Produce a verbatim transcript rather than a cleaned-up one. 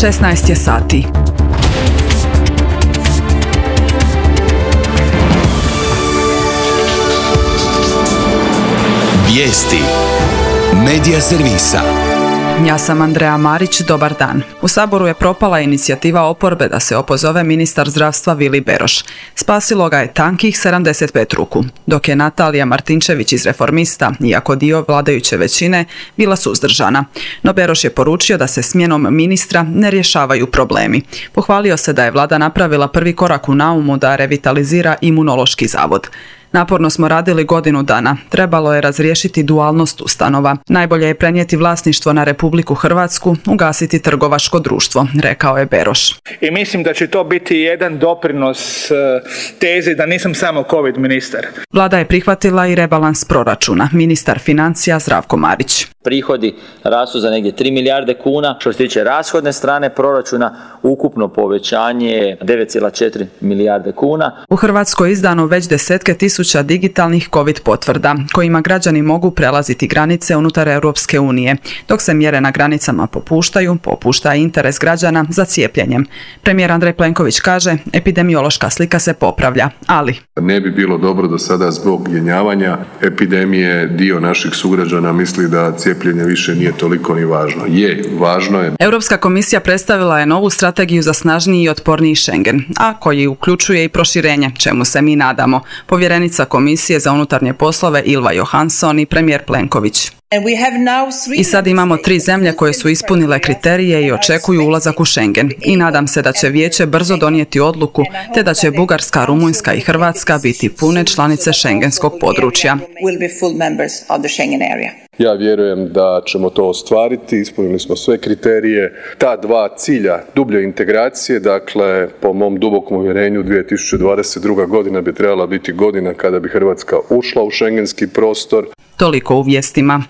šesnaest je sati. Vijesti Medija servisa. Ja sam Andreja Marić, dobar dan. U Saboru je propala inicijativa oporbe da se opozove ministar zdravstva Vili Beroš. Spasilo ga je tankih sedamdeset pet ruku, dok je Natalija Martinčević iz Reformista, iako dio vladajuće većine, bila suzdržana. No Beroš je poručio da se smjenom ministra ne rješavaju problemi. Pohvalio se da je vlada napravila prvi korak u naumu da revitalizira Imunološki zavod. Naporno smo radili godinu dana. Trebalo je razriješiti dualnost ustanova. Najbolje je prenijeti vlasništvo na Republiku Hrvatsku, ugasiti trgovačko društvo, rekao je Beroš. I mislim da će to biti jedan doprinos tezi da nisam samo COVID ministar. Vlada je prihvatila i rebalans proračuna. Ministar financija Zdravko Marić. Prihodi rastu za negdje tri milijarde kuna. Što se tiče rashodne strane proračuna, ukupno povećanje je devet zarez četiri milijarde kuna. U Hrvatskoj je izdano već desetke tisuća digitalnih COVID potvrda, kojima građani mogu prelaziti granice unutar Europske unije. Dok se mjere na granicama popuštaju, popušta i interes građana za cijepljenjem. Premijer Andrej Plenković kaže, epidemiološka slika se popravlja, ali... Ne bi bilo dobro da sada zbog jenjavanja epidemije dio naših sugrađana misli da cijepljenje više nije toliko ni važno. Je, važno je. Europska komisija predstavila je novu strategiju za snažniji i otporniji Schengen, a koji uključuje i proširenje, čemu se mi nadamo. Povjerenica Komisije za unutarnje poslove Ylva Johansson i premijer Plenković. I sad imamo tri zemlje koje su ispunile kriterije i očekuju ulazak u Schengen. I nadam se da će vijeće brzo donijeti odluku, te da će Bugarska, Rumunjska i Hrvatska biti pune članice šengenskog područja. Ja vjerujem da ćemo to ostvariti, ispunili smo sve kriterije. Ta dva cilja dublje integracije, dakle, po mom dubokom uvjerenju, dvije tisuće dvadeset druga godina bi trebala biti godina kada bi Hrvatska ušla u šengenski prostor. Toliko u vijestima.